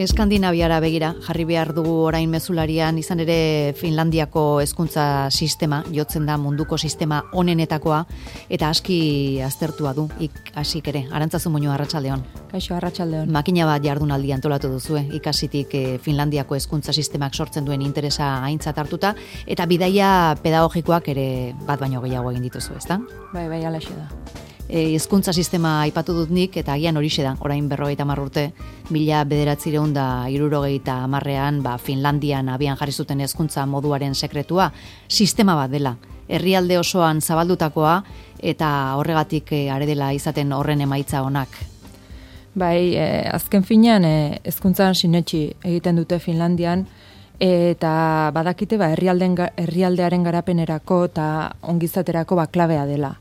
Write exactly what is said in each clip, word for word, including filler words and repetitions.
Eskandinaviara begira, jarri behar dugu orain mezularian, izan ere Finlandiako hezkuntza sistema, jotzen da munduko sistema onenetakoa, eta aski aztertua du, ikasik ere. Arantzazu Muñoa, arratsaldeon. Kaixo, arratsaldeon. Makina bat jardunaldi antolatu duzue, ikasitik eh, Finlandiako hezkuntza sistemak sortzen duen interesa aintzat hartuta, eta bidaia pedagogikoak ere bat baino gehiago egin dituzu, ezta? Bai, bai, alaxe da. Hezkuntza sistema aipatu dut nik, eta agian horixe da, orain berrogeita hamar urte, mila bederatziehun da hirurogeita hamarrean, ba, Finlandian abian jarri zuten hezkuntza moduaren sekretua, sistema bat dela, herrialde osoan zabaldutakoa, eta horregatik are dela izaten horren emaitza onak. Bai, eh, azken finean eh, hezkuntzan sinetsi egiten dute Finlandian, eta badakite ba, herrialden, herrialdearen garapenerako eta ongizaterako ba, klabea dela.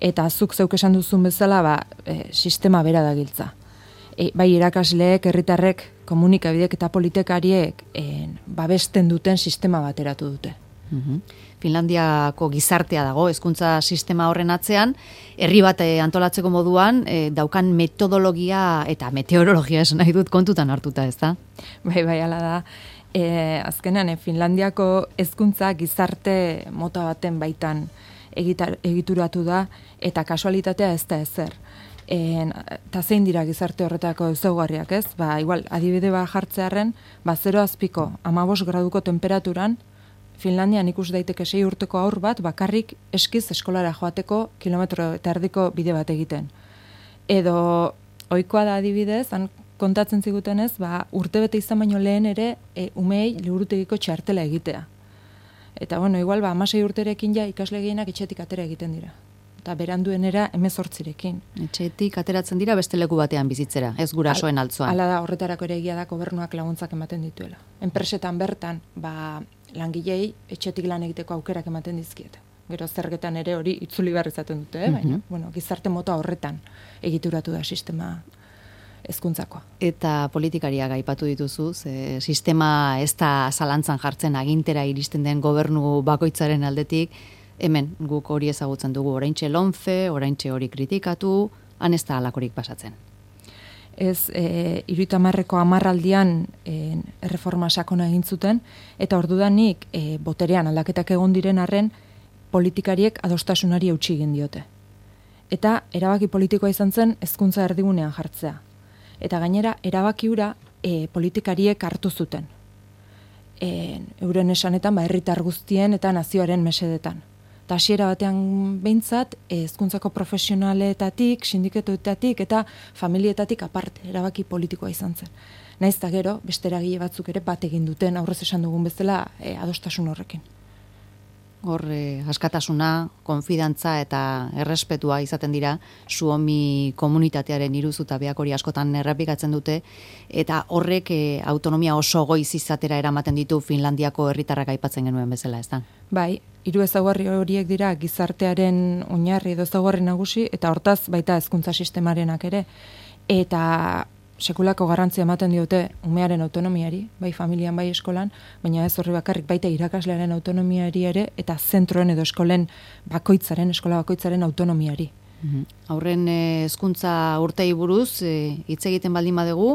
Eta zuk zeuk esan duzun bezala, ba, e, sistema bera da giltza. E, bai irakasleek, herritarrek, komunikabidek eta politikariek e, babesten duten sistema bat eratu dute. Uhum. Finlandiako gizartea dago, hezkuntza sistema horren atzean, herri bat antolatzeko moduan, e, daukan metodologia eta meteorologia esan nahi dut kontutan hartuta, ez da? Bai, bai, ala da. E, azkenean, e, Finlandiako hezkuntza gizarte mota baten baitan egitar, egituratu da, eta kasualitatea ez da ezer. Eta zein dira gizarte horretako ezaugarriak, ez? Ba, igual, adibide bat jartzearen, ba, zero azpiko, hamabost graduko temperaturan, Finlandian ikus daiteke sei urteko haur bat, bakarrik eskiz eskolara joateko kilometro eta erdiko bide bat egiten. Edo, ohikoa da adibidez, han kontatzen zigutenez, ba, urtebete izan baino lehen ere, e, umei liburutegiko txartela egitea. Eta, bueno, igual, ba, amasei urterekin ja ikasle gehienak etxetik atera egiten dira. Eta beranduenera hemezortzirekin. Etxetik ateratzen dira beste leku batean bizitzera, ez gurasoen altzoan. Hala da, horretarako ere egia da gobernuak laguntzak ematen dituela. Enpresetan bertan, ba, langilei etxetik lan egiteko aukerak ematen dizkiete. Gero zergetan ere hori itzuli behar izaten dute, eh? Baina, bueno, gizarte mota horretan egituratu da sistema hezkuntzakoa. Eta politikariak aipatu dituzu, ze sistema ez da zalantzan jartzen agintera iristen den gobernu bakoitzaren aldetik, hemen guk hori ezagutzen dugu, oraintxe lonfe, oraintxe hori kritikatu, han ez da halakorik pasatzen. Ez, e, iruita marreko amarraldian e, erreforma sakona egin zuten, eta ordudanik e, boterean aldaketak egon diren arren, politikariek adostasunari eutsi egin diote. Eta erabaki politikoa izan zen hezkuntza erdigunean jartzea. Eta gainera, erabaki hura e, politikariek hartu zuten. E, euren esanetan, ba, herritar guztien eta nazioaren mesedetan. Eta hasiera batean behintzat, hezkuntzako profesionaletatik, sindikatuetatik eta familietatik aparte, erabaki politikoa izan zen. Naiz eta gero, beste eragile batzuk ere bat egin duten, aurrez esan dugun bezala, e, adostasun horrekin. Hor, eh, askatasuna, konfidantza eta errespetua izaten dira, Suomi komunitatearen iruzutabeak hori askotan errepikatzen dute, eta horrek eh, autonomia oso goiz izatera eramaten ditu Finlandiako herritarrak aipatzen genuen bezala, ez da? Bai, hiru ezaugarri horiek dira gizartearen oinarri edo ezaugarri nagusi, eta hortaz baita hezkuntza sistemarenak ere, eta sekulako garrantzia ematen diote umearen autonomiari, bai familian, bai eskolan, baina ez horri bakarrik baita irakaslearen autonomiari ere, eta zentroen edo eskolen bakoitzaren, eskola bakoitzaren autonomiari. Mm-hmm. Aurren hezkuntza urtei buruz, hitz egiten baldin badugu,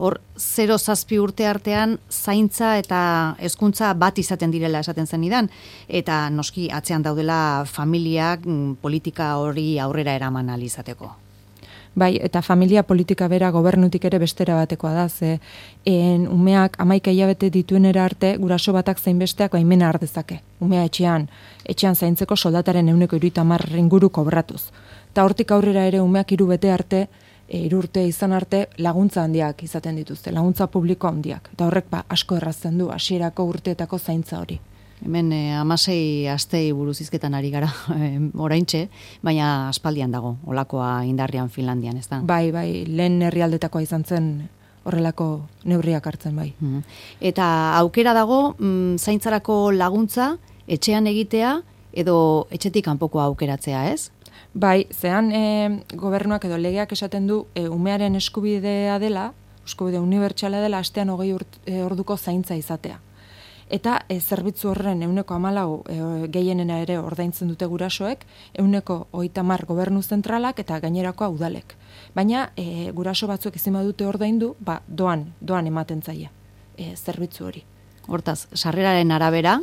hor zero zazpi urte artean zaintza eta hezkuntza bat izaten direla esaten zenidan, eta noski atzean daudela familiak politika hori aurrera eraman ahal izateko. Bai, eta familia politika bera gobernutik ere bestera batekoa da, ze en, umeak hamaika hilabete dituenera arte, guraso batak zein besteak baimena har dezake. Umea etxean, etxean zaintzeko soldataren ehuneko hirurogeita hamar inguru kobratuz. Eta hortik aurrera ere umeak hiru bete arte, e, hiru urte izan arte, laguntza handiak izaten dituzte, laguntza publiko handiak. Eta horrek ba, asko errazten du, hasierako urteetako zaintza hori. Hemen eh, amasei astei buruz hizketan ari gara eh, oraintxe, baina aspaldian dago, olakoa indarrian Finlandian, ez da? Bai, bai, lehen herrialdetakoa izan zen horrelako neurriak hartzen, bai. Mm. Eta aukera dago, mm, zaintzarako laguntza, etxean egitea, edo etxetik kanpoko aukeratzea, ez? Bai, zean e, gobernuak edo legeak esaten du e, umearen eskubidea dela, eskubide unibertsala dela, astean hogei urt, e, orduko zaintza izatea. eta e, zerbitzu horren euneko hamalau e, gehienena ere ordaintzen dute gurasoek, euneko hogeita hamar gobernu zentralak eta gainerakoa udalek. Baina e, guraso batzuk ezin badute ordaindu, ba, doan, doan ematen zaie e, zerbitzu hori. Hortaz, sarreraren arabera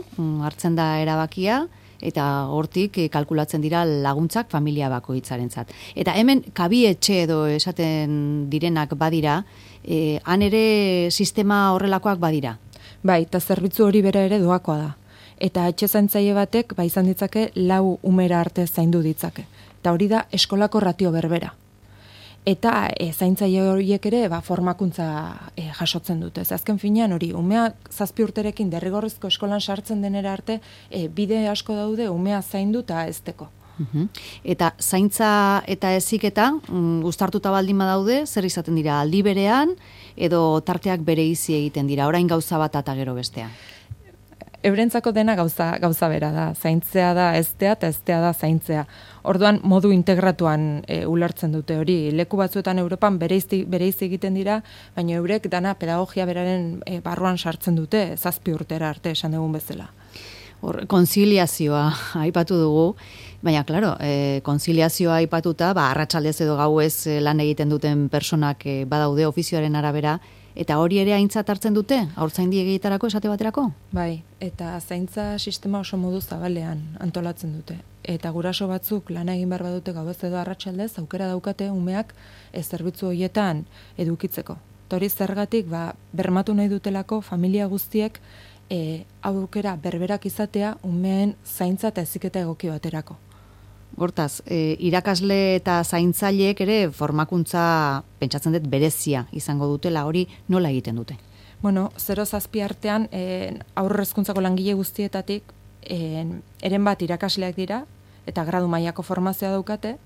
hartzen da erabakia, eta hortik e, kalkulatzen dira laguntzak familia bakoitzarentzat. Eta hemen kabietxe edo esaten direnak badira, e, han ere sistema horrelakoak badira. Bai, eta zerbitzu hori bera ere doakoa da. Eta etxe zaintzaile batek ba izan ditzake lau umera arte zaindu ditzake. Eta hori da eskolako ratio berbera. Eta e, zaintzaile horiek ere ba, formakuntza e, jasotzen dute. Ez azken finean hori, umea zazpi urterekin derrigorrezko eskolan sartzen denera arte, e, bide asko daude umea zaindu eta ezteko. Uhum. Eta zaintza eta heziketa um, uztartuta baldin badaude, zer izaten dira aldi berean edo tarteak bereizi egiten dira, orain gauza bat eta gero bestean? Eurentzako dena gauza, gauza bera da, zaintzea da eztea eta eztea da zaintzea. Orduan modu integratuan e, ulertzen dute hori. Leku batzuetan Europan bereizi, bereizi egiten dira, baina eurek dana pedagogia beraren e, barruan sartzen dute, zazpi urtera arte esan dugun bezala. Hor, konziliazioa aipatu dugu, baina, klaro, e, konziliazioa aipatuta, ba, arratsaldez edo gauez e, lan egiten duten personak e, badaude ofizioaren arabera, eta hori ere aintzat hartzen dute, haurtzaindi egietarako esate baterako? Bai, eta zaintza sistema oso modu zabalean antolatzen dute. Eta guraso batzuk lana egin behar badute gauez edo arratsaldez, aukera daukate umeak ez zerbitzu horietan edukitzeko. Eta hori zergatik, ba, bermatu nahi dutelako familia guztiek e, aukera berberak izatea umeen zaintza eta heziketa egoki baterako. Hortaz, e, irakasle eta zaintzaileek ere formakuntza pentsatzen dut berezia izango dutela, hori nola egiten dute? Bueno, zero zazpi artean e, aurre hezkuntzako langile guztietatik e, eren bat irakasleak dira eta gradu mailako formazioa daukate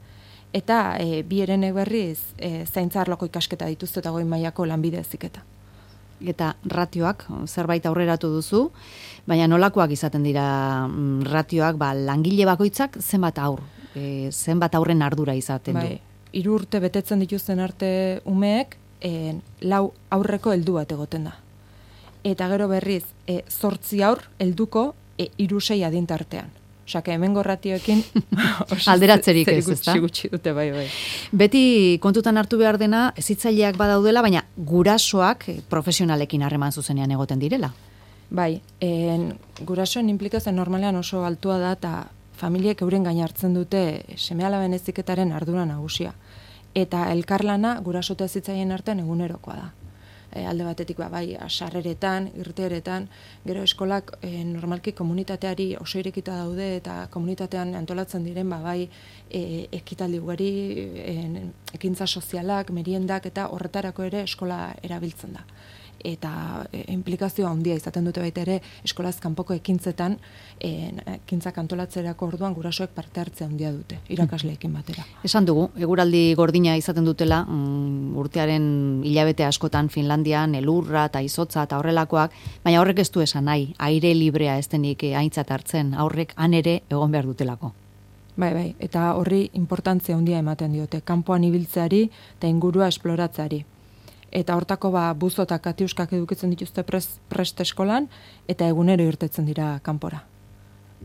eta e, bi herenek berriz e, zaintza arloko ikasketa dituzte eta goi mailako lanbide heziketa. Eta ratioak, zerbait aurreratu duzu, baina nolakoak izaten dira mm, ratioak, ba, langile bakoitzak zenbat aur, e, zenbat aurren ardura izaten bai, du. Hiru urte betetzen dituzten arte umeek, e, lau aurreko heldu bat egoten da. Eta gero berriz, e, zortzi aur helduko e, hiru sei adintartean. Osea, hemengo ratioekin alderatzerik ez, ezta? Gutxi dute, bai, bai. Beti kontutan hartu behar dena, hezitzaileak badaudela, baina gurasoak profesionalekin harreman zuzenean egoten direla. Bai, en, gurasoen implikazioa normalean oso altua da, eta familiek euren gain hartzen dute seme-alaben heziketaren ardura nagusia. Eta elkarlana guraso eta hezitzaileen artean egunerokoa da. E, alde batetik ba, bai, sarreretan, irteeretan, gero eskolak e, normalki komunitateari oso irekita daude eta komunitatean antolatzen diren ba, bai e, ekitaldi ugari, e, ekintza sozialak, meriendak eta horretarako ere eskola erabiltzen da. Eta e, implikazioa handia izaten dute baita ere eskolaz kanpoko ekintzetan, e, ekintzak antolatzerako orduan gurasoek parte hartzea handia dute, irakasleekin batera. Esan dugu, eguraldi gordina izaten dutela, mm, urtearen hilabete askotan Finlandian, elurra eta izotza eta horrelakoak, baina horrek ez du esan nahi, aire librea ez denik aintzat hartzen, aurrek han ere egon behar dutelako. Bai, bai, eta horri importantzia handia ematen diote, kanpoan ibiltzeari eta ingurua esploratzeari. Eta hortako ba, buzo eta katiuskak edukitzen dituzte prest, prest eskolan, eta egunero irtetzen dira kanpora.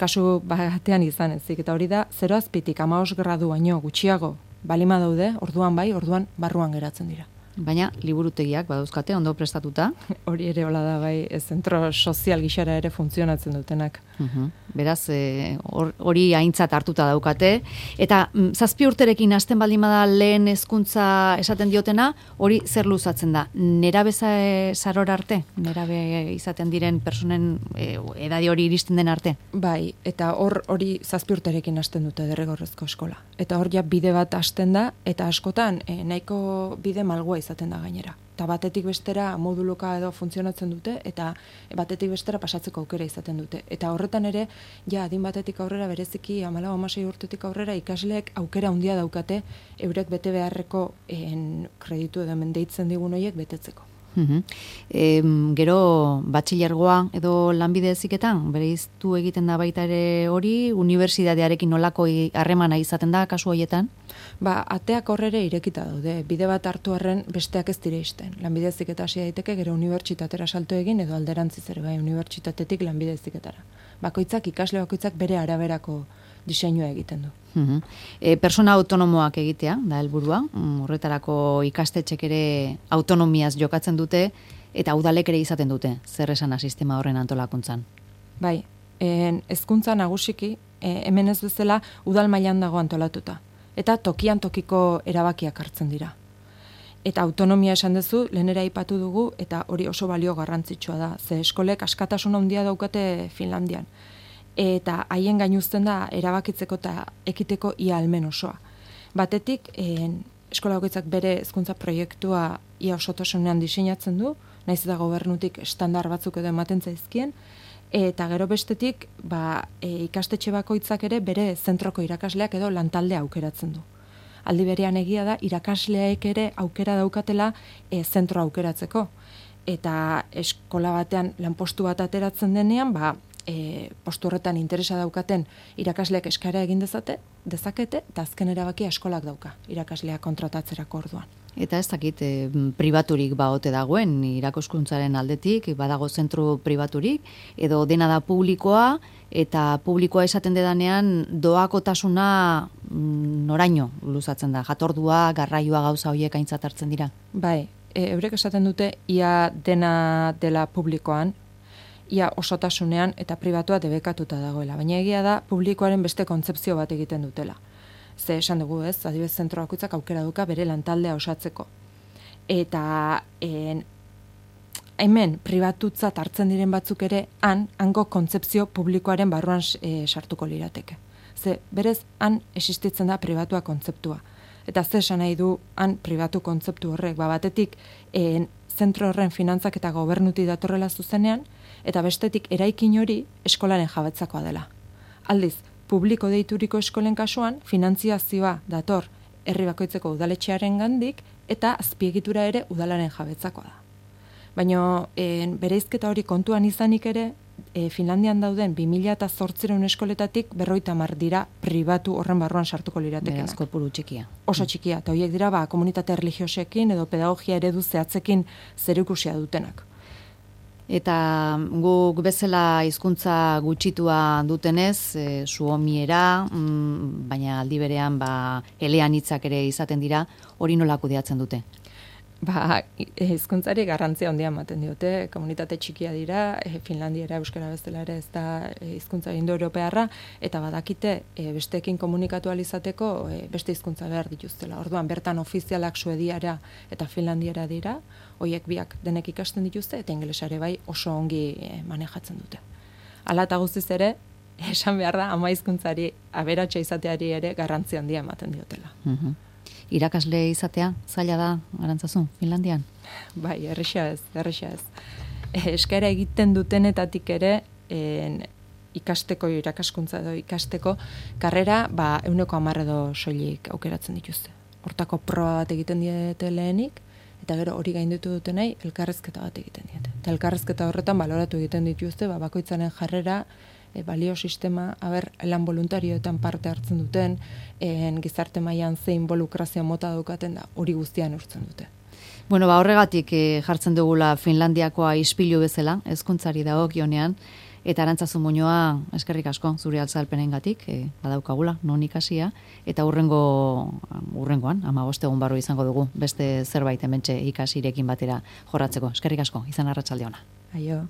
Kasu batean izan ezik, eta hori da, zero azpitik hamabost gradu baino gutxiago balima daude, orduan bai, orduan barruan geratzen dira. Baina liburutegiak badauzkate ondo prestatuta. Hori ere hola da bai, zentro sozial gixara ere funtzionatzen dutenak. Uhum. Beraz, hori e, aintzat hartuta daukate. Eta mm, zazpi urterekin hasten baldin bada lehen hezkuntza esaten diotena, hori zer luzatzen da? Nerabe zarora arte? Nerabe izaten diren personen e, edadi hori iristen den arte? Bai, eta hor hori zazpi urterekin hasten dute derrigorrezko eskola. Eta hor ja bide bat hasten da, eta askotan e, nahiko bide malgua izaten da gainera. Eta batetik bestera moduluka edo funtzionatzen dute, eta batetik bestera pasatzeko aukera izaten dute. Eta horretan ere, ja, adin batetik aurrera bereziki, hamalau hamasei urtetik aurrera, ikasleek aukera handia daukate, eurek bete beharreko en, kreditu edo mendeitzen digun horiek betetzeko. Uhum. E, gero, batxilergoa edo lanbide heziketan, bereiztu egiten da baita ere hori, unibertsitatearekin nolako harremana izaten da kasu horietan? Ba, ateak horrere irekita daude, bide bat hartu arren besteak ez dire isten. Lanbide heziketa hasi daiteke, gero unibertsitatera salto egin edo alderantziz ere bai, unibertsitatetik lanbide heziketara. Bakoitzak, ikasle bakoitzak bere araberako diseinua egiten du. Uhum. E, persona autonomoak egitea, da helburua, horretarako ikastetxek ere autonomiaz jokatzen dute, eta udalek ere izaten dute, zer esana sistema horren antolakuntzan. Bai, en, hezkuntza nagusiki, e, hemen ez bezala udal mailan dago antolatuta, eta tokian tokiko erabakiak hartzen dira. Eta autonomia esan duzu, lehenera aipatu dugu, eta hori oso balio garrantzitsua da, ze eskolek askatasun handia daukate Finlandian. Eta haien gainuzten da erabakitzeko eta ekiteko ia almen osoa. Batetik, en, eskola bakoitzak bere hezkuntza proiektua ia osotasunean diseinatzen du, naiz eta gobernutik estandar batzuk edo ematen zaizkien, eta gero bestetik, ba, e, ikastetxe bakoitzak ere bere zentroko irakasleak edo lantaldea aukeratzen du. Aldi berean egia da, irakasleek ere aukera daukatela e, zentro aukeratzeko. Eta eskola batean lanpostu bat ateratzen denean, ba, E, postu horretan interesa daukaten irakasleak eskaera egin dezate, dezakete, eta azken erabakia eskolak dauka, irakasleak kontratatzerako orduan. Eta ez dakit, e, pribaturik baote dagoen, irakaskuntzaren aldetik, badago zentru pribaturik, edo dena da publikoa, eta publikoa esaten dedanean doakotasuna noraino luzatzen da, jatordua, garraioa gauza horiek aintzat hartzen dira? Bai, e, eurek esaten dute, ia dena dela publikoan, ia osotasunean eta pribatua debekatuta dagoela. Baina egia da, publikoaren beste kontzepzio bat egiten dutela. Ze esan dugu ez, adibidez zentro bakoitzak aukera duka bere lantaldea osatzeko. Eta en, hemen pribatutzat hartzen diren batzuk ere, han, hango kontzepzio publikoaren barruan e, sartuko lirateke. Ze berez, han existitzen da pribatua kontzeptua. Eta ze esan nahi du, han pribatu kontzeptu horrek, ba, batetik en, zentro horren finantzak eta gobernuti datorrela zuzenean, eta bestetik eraikin hori eskolaren jabetzakoa dela. Aldiz, publiko deituriko eskolen kasuan, finantziazioa dator herri bakoitzeko udaletxearen gandik, eta azpiegitura ere udalaren jabetzakoa da. Baina bereizketa hori kontuan izanik ere, e, Finlandian dauden bi mila zortziehun eskoletatik berrogeita hamar dira pribatu horren barruan sartuko liratekenak. Beraz, kopuru txikia. Oso txikia, eta horiek dira ba, komunitate religiosekin edo pedagogia eredu zehatzekin zerikusia dutenak. Eta guk bezala hizkuntza gutxitua dutenez, e, suomiera, mm, baina aldi berean ba, eleanitzak ere izaten dira, hori nola kudeatzen dute? Ba, hizkuntzari garrantzia handia ematen diote, komunitate txikia dira, e, Finlandiera, euskara bezala ere ez da hizkuntza indoeuropearra, eta badakite e, besteekin komunikatu alizateko e, beste hizkuntza behar dituztela. Orduan bertan ofizialak suediara eta finlandiera dira, hoiek biak denek ikasten dituzte, eta ingelesare bai oso ongi e, manejatzen dute. Hala eta guztiz ere, esan behar da, ama hizkuntzari aberatsa izateari ere garrantzia handia ematen diotela. Mhm. Irakasle izatea, zaila da, Arantzazu, Finlandian? Bai, erresa ez, erresa ez. E, eskaera egiten dutenetatik ere, en, ikasteko, irakaskuntza edo ikasteko, karrera, ba, euneko hamar edo soilik aukeratzen dituzte. Hortako proba bat egiten diete lehenik, eta gero hori gainditu dutenei, elkarrezketa bat egiten diete. Eta elkarrezketa horretan baloratu egiten dituzte, ba, bakoitzaren jarrera, E, balio sistema, haber, lan voluntarioetan parte hartzen duten, en, gizarte mailan zein involukrazio mota daukaten da, hori guztian urtzen dute. Bueno, ba, horregatik e, jartzen dugula Finlandiakoa ispilu bezala, hezkuntzari dagokionean, eta Arantzazu Muñoa, eskerrik asko, zure altzalpenengatik, e, badaukagula, non ikasia, eta urrengo, urrengoan, hamabost egun barru izango dugu, beste zerbait hementxe ikasirekin batera jorratzeko. Eskerrik asko, izan arratsalde ona. Aio.